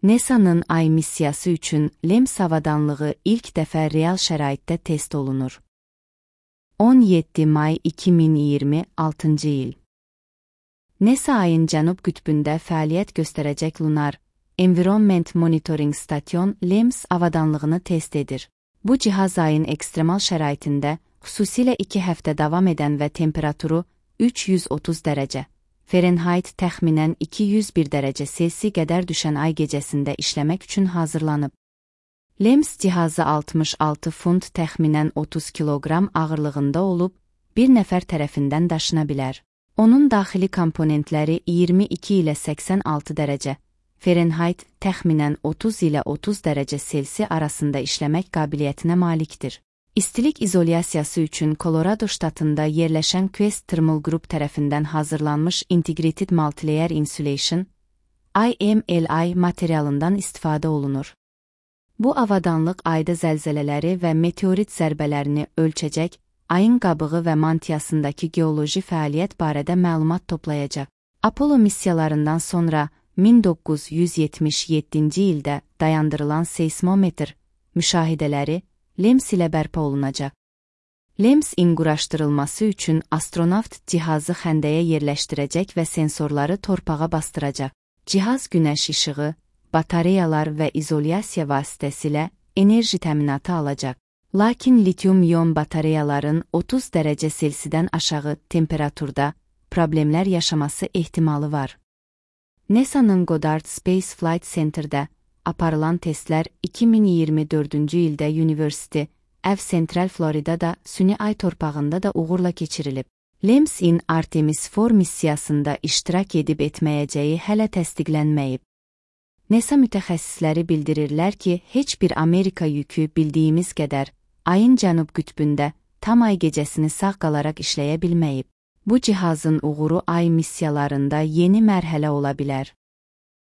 NASA'nın Ay missiyası üçün LEMS avadanlığı ilk dəfə real şəraitdə test olunur. 17 may 2026-cı il. NASA ayın cənub qütbündə fəaliyyət göstərəcək Lunar Environment Monitoring Station LEMS avadanlığını test edir. Bu cihaz ayın ekstremal şəraitində, xüsusilə 2 həftə davam edən və temperaturu 330 dərəcə Fahrenheit təxminən 201 dərəcə Selsi qədər düşən ay gecəsində işləmək üçün hazırlanıb. LEMS cihazı 66 funt təxminən 30 kiloqram ağırlığında olub, bir nəfər tərəfindən daşına bilər. Onun daxili komponentləri 22 ilə 86 dərəcə Fahrenheit təxminən 30 ilə 30 dərəcə Selsi arasında işləmək qabiliyyətinə malikdir. İstilik izolyasiyası üçün Colorado ştatında yerləşən Quest Thermal Group tərəfindən hazırlanmış Integrated Multilayer Insulation (IMLI) materialından istifadə olunur. Bu avadanlıq ayda zəlzələləri və meteorit zərbələrini ölçəcək, ayın qabığı və mantiyasındakı geoloji fəaliyyət barədə məlumat toplayacaq. Apollo missiyalarından sonra 1977-ci ildə dayandırılan seismometr müşahidələri LEMS ilə bərpa olunacaq. LEMS-in quraşdırılması üçün astronavt cihazı xəndəyə yerləşdirəcək və sensorları torpağa bastıracaq. Cihaz günəş işığı, batareyalar və izolyasiya vasitəsilə enerji təminatı alacaq. Lakin litium-ion batareyaların 30 dərəcə Selsidən aşağı temperaturda problemlər yaşaması ehtimalı var. NASA'nın Goddard Space Flight Center'də aparılan testlər 2024-cü ildə University of Central Florida'da süni ay torpağında da uğurla keçirilib. LEMS-in Artemis 4 missiyasında iştirak edib etməyəcəyi hələ təsdiqlənməyib. NASA mütəxəssisləri bildirirlər ki, heç bir Amerika yükü bildiyimiz qədər ayın cənub qütbündə tam ay gecəsini sağ qalaraq işləyə bilməyib. Bu cihazın uğuru ay missiyalarında yeni mərhələ ola bilər.